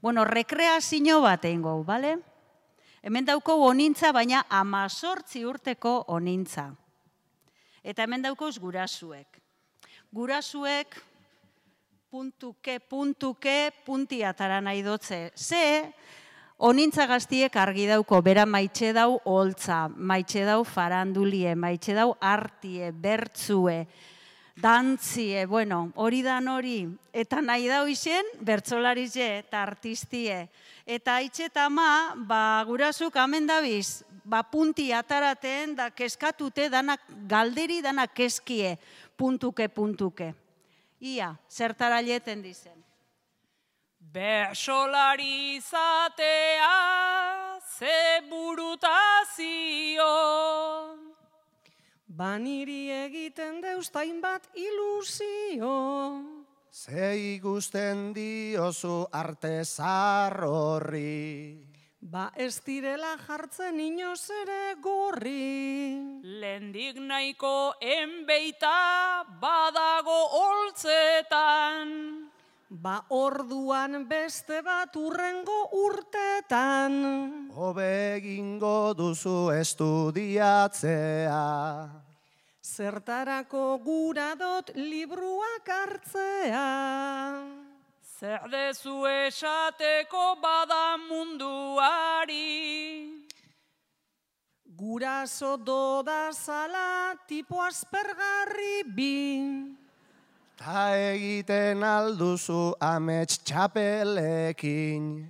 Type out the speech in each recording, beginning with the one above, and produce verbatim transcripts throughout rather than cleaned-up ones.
Bueno, rekreazio bat egin gau, bale? Hemen dauko onintza, baina amazortzi urteko onintza. Eta hemen daukoz gurasuek. Gurasuek puntuke, puntuke, punti atara nahi dotze. Ze, onintza gaztiek argi dauko, bera maitxe dau holtza, maitxe dau farandulie, maitxe dau artie, bertzue, dantzie, bueno, hori dan hori. Eta nahi dau izen, bertzolarize eta artistie. Eta haitxe eta ma, ba, gurasuk amen dabiz, ba, punti ataraten, da keskatute, danak galderi, danak keskie, puntuke, puntuke. Ia, zertara lieten dizen. Bersolari izatea ze burutazio. Baniri egiten deustain bat ilusio. Ze ikusten diozu artezar horri. Ba ez direla jartzen inoz ere gorri. Lendik nahiko enbeita badago holtzetan. Ba orduan beste bat urrengo urtetan. Hobe egingo duzu estudiatzea. Zertarako gura dot libruak hartzea. Zer dezu esateko bada munduari. Guraso doda zala tipo aspergarri bi. Ta egiten alduzu amets txapelekin.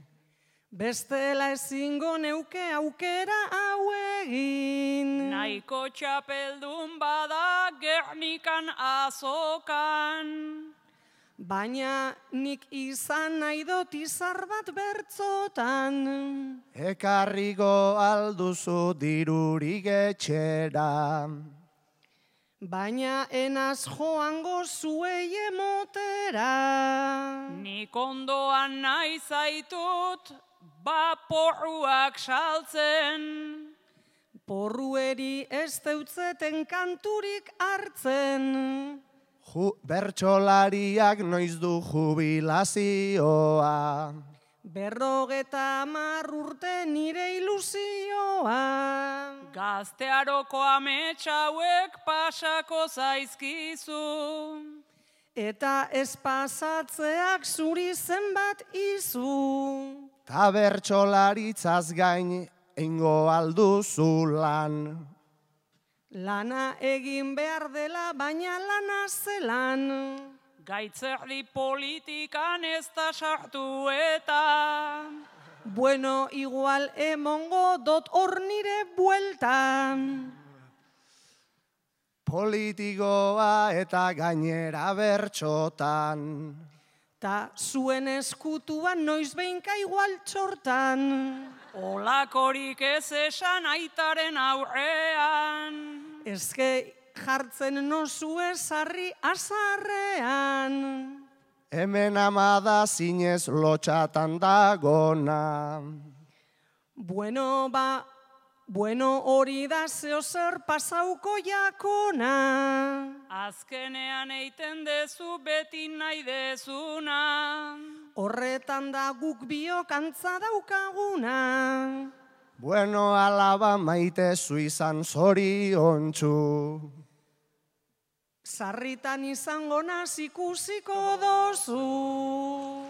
Bestela ezingo neuke aukera hau egin. Nahiko txapeldun bada Gernikan azokan. Baina nik izan nahi dut izar bat bertzotan. Ekarriko alduzu dirurik etxera. Baina enaz joango zuei emotera. Nik ondoan nahi zaitut baporruak saltzen. Porrueri ez deutzeten kanturik hartzen. Ju, bertsolariak noiz du jubilazioa. Berrogeta hamar urte nire ilusioa. Gaztearoko ametxauek pasako zaizkizu. Eta ez pasatzeak zuri zenbat izu. Ta bertsolaritzaz gain eingo alduzu lan. Lana egin behar dela, baina lana zelan. Gaitzerdi politikan ez da sartu eta. Bueno, igual emongo dot hor nire buelta. Politikoa eta gainera bertxotan. Ta zuen eskutuan noiz behinka igual txortan. Olakorik ez esan aitaren aurrean. Ezke jartzen nozue sarri azarrean. Hemen amada zinez lotxatan dagona. Bueno, ba, bueno hori da zeo zer pasauko jakona. Azkenean eiten dezu beti nahi dezuna. Horretan da guk biok antza daukaguna. Bueno, alaba maite zu izan zoriontsu. Sarritan izango naz ikusiko dozu.